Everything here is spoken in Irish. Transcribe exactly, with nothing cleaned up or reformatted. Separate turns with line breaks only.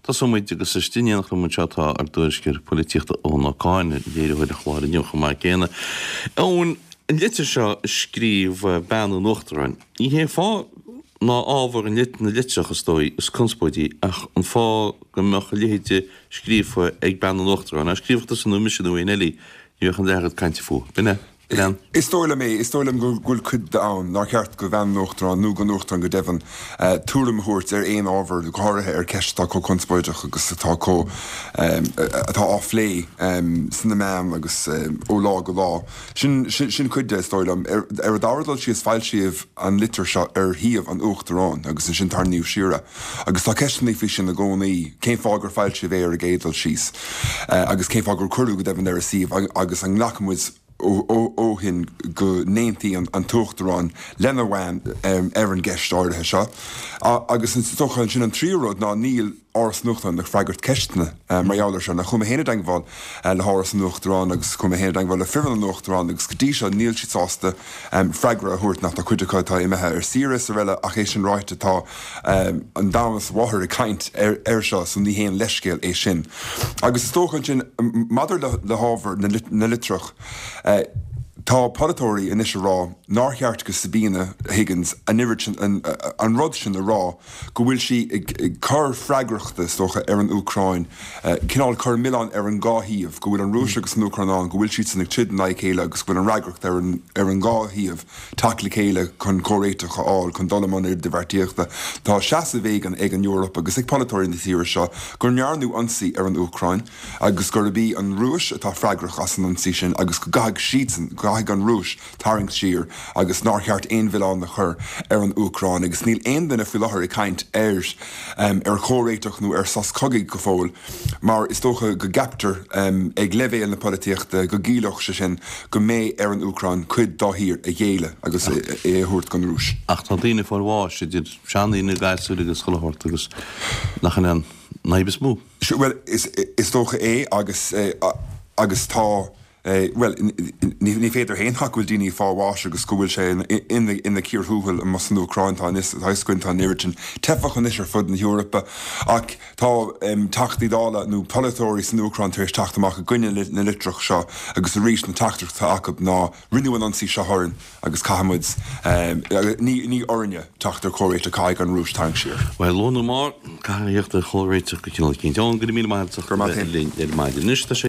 Tosóidh muid agus istigh in éineacht liom anseo tá ár dtuairisceoir polaitíochta Eoin Ó Cadhain, léiritheoir an chláir inniu chomh maith céanna. Eoin, an litir seo a scríobh bean an Uachtaráin, ní hé fáth ná ábhar an na litreach is dóigh is conspóidí ach an fáth go mbeadh a leithéid scríofa ag bean an Uachtaráin. Dá scríobhadh tusa nó mise nó aon eile í, ní bheadh an leath oiread cainte fúithi. B'in é. B'in é.
Is dóigh liom é. Is dóigh liom go bhfuil cuid de ann nár cheart do bhean an Uachtaráin nó don Uachtarán go deimhin tuairim a thabhairt ar aon ábhar, go háirithe ar ceist atá chomh conspóideach agus atá chomh atá á phlé sna meáin agus ó lá go lá. Sin sin cuid de, is dóigh liom. Ar an dara dul síos, foilsíodh an litir seo ar shuíomh an Uachtaráin agus ansin tarraingíodh siar é. Agus tá ceisteanna faoi sin i gcónaí, cén fáth gur foilsíodh é ar an gcéad dul síos agus cén fáth gur cuireadh go deimhin ar a suíomh agus an nglacann muid ó shin go n-aontaíonn an tUachtarán lena bhean ar an gceist áirithe seo. Agus is dócha ansin an tríú rud ná níl Áras an Uachtaráin ag freagairt ceisteanna mar gheall air seo. Now chuaigh mé féin i dteagmháil le hÁras an Uachtaráin agus chuaigh mé féin i dteagmháil le foireann an Uachtaráin agus go dtí seo níl siad sásta freagra a thabhairt now tá cuid acu atá imithe ar saoire is araile ach é sin ráite tá an domhan is a mháthair ag caint air seo so ní haon leithscéal é sin. Agus is dócha ansin maidir le hábhar na litreach tá polaiteoirí anois ag rá nár cheart go Sabina Higgins an oiread sin an rud sin a rá go bhfuil sí ag cur freagrachta is dócha ar an Úcráin cineál cur milleán ar an dhá thaobh go bhfuil an Rúis agus an Úcráin ann go bhfuil siadsan ag troid in aghaidh a chéile agus go bhfuil an fhreagracht ar an ar an dhá thaobh teacht le chéile chun comhréiteach a fháil chun dul i mbun idirbheartaíochta. Tá seasamh éigin ag an Eoraip agus ag polaiteoirí na tíre seo go ndearnadh ionsaí ar an Úcráin agus gurb í an Rúis atá freagrach as an ionsaí sin agus go gcaithfidh siadsan, go gcaithfidh an Rúis tarraingt siar agus nár cheart aon mhilleán a chur ar an Úcráin agus níl aon duine faoi láthair ag caint ar ar chomhréiteach nó ar sos cogaidh go fóill mar is dócha go gceaptar ag leibhéal na polaitíochta go gciallódh sé sin go mbeidh ar an Úcráin cuid dá thír a ghéilleadh agus é a thabhairt don Rúis.
Ach tá daoine ag fáil bháis, idir seandaoine, gasúir agus chuile shórt agus nach in é an fhadhb is mó?
Bhuel, is dócha é agus agus tá. Bhuel, ní féidir a shéanadh go bhfuil daoine ag fáil bháis agus go bhfuil sé ina cíor thuathail amuigh san Úcráin. Tá anois, tá a fhios againn, tá an oiread sin teifeach anois ar fud na hEorpa ach tá Teachtaí Dála nó polaiteoirí san Úcráin tar éis teacht amach i gcoinne na litreach seo agus arís na teachtaireacht atá acu ná rinneadh an ionsaí seo orainn agus caithfidh muid, ní orainne teacht ar chomhréiteach, caithfidh an Rúis tarraingt siar.
Bhuel, luath nó mall, caithfidh teacht ar chomhréiteach go cineál eicínt. Eoin, go raibh míle maith agat as ucht a bheith linn ar maidin. Anois tá sé.